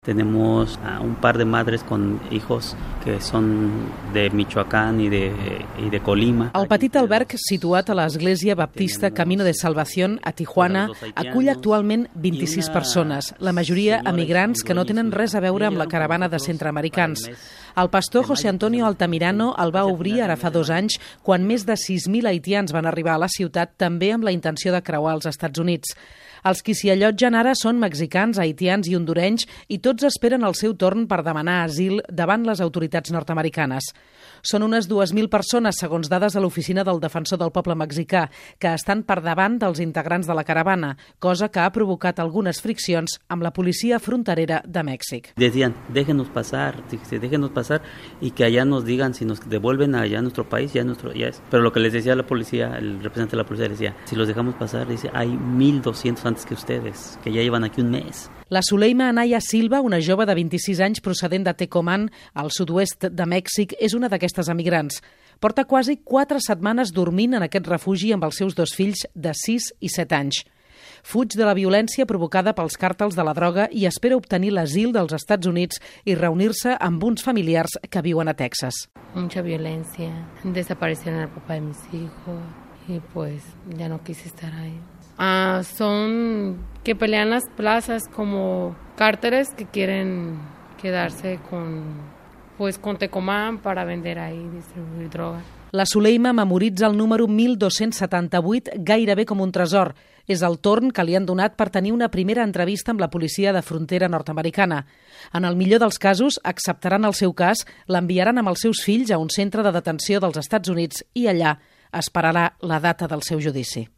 Tenemos un par de madres con hijos que son de Michoacán y de Colima. El petit alberg situat a l'Església Baptista Camino de Salvación a Tijuana acull actualment 26 persones, la majoria emigrants que no tenen res a veure amb la caravana de centreamericans. El pastor José Antonio Altamirano el va obrir ara fa 2 anys quan més de 6.000 haitians van arribar a la ciutat també amb la intenció de creuar els Estats Units. Els qui s'hi allotgen ara són mexicans, haitians i hondurenys i tots esperen el seu torn per demanar asil davant les autoritats nord-americanes. Són unes 2.000 persones, segons dades de l'Oficina del Defensor del Poble Mexicà, que estan per davant dels integrants de la caravana, cosa que ha provocat algunes friccions amb la policia fronterera de Mèxic. Decían, déjenos pasar y que allá nos digan si nos devuelven allá a nuestro país, ya es. Pero lo que les decía la policía, el representante de la policía decía, si los dejamos pasar, dice, hay 1.200 antes que ustedes, que ya llevan aquí un mes. La Zuleima Anaya Silva, una jove de 26 anys procedent de Tecomán, al sud-oest de Mèxic, és una d'aquestes emigrants. Porta quasi 4 setmanes dormint en aquest refugi amb els seus 2 fills de 6 i 7 anys. Fuig de la violència provocada pels càrtels de la droga i espera obtenir l'asil dels Estats Units i reunir-se amb uns familiars que viuen a Texas. Mucha violencia, desaparecieron al papá de mis hijos y pues ya no quise estar ahí. Son que pelean las plazas como cárteles que quieren quedarse con Tecomán para vender ahí, distribuir droga. La Zuleima memoritza el número 1278 gairebé com un tresor. És el torn que li han donat per tenir una primera entrevista amb la policia de frontera nord-americana. En el millor dels casos, acceptaran el seu cas, l'enviaran amb els seus fills a un centre de detenció dels Estats Units i allà esperarà la data del seu judici.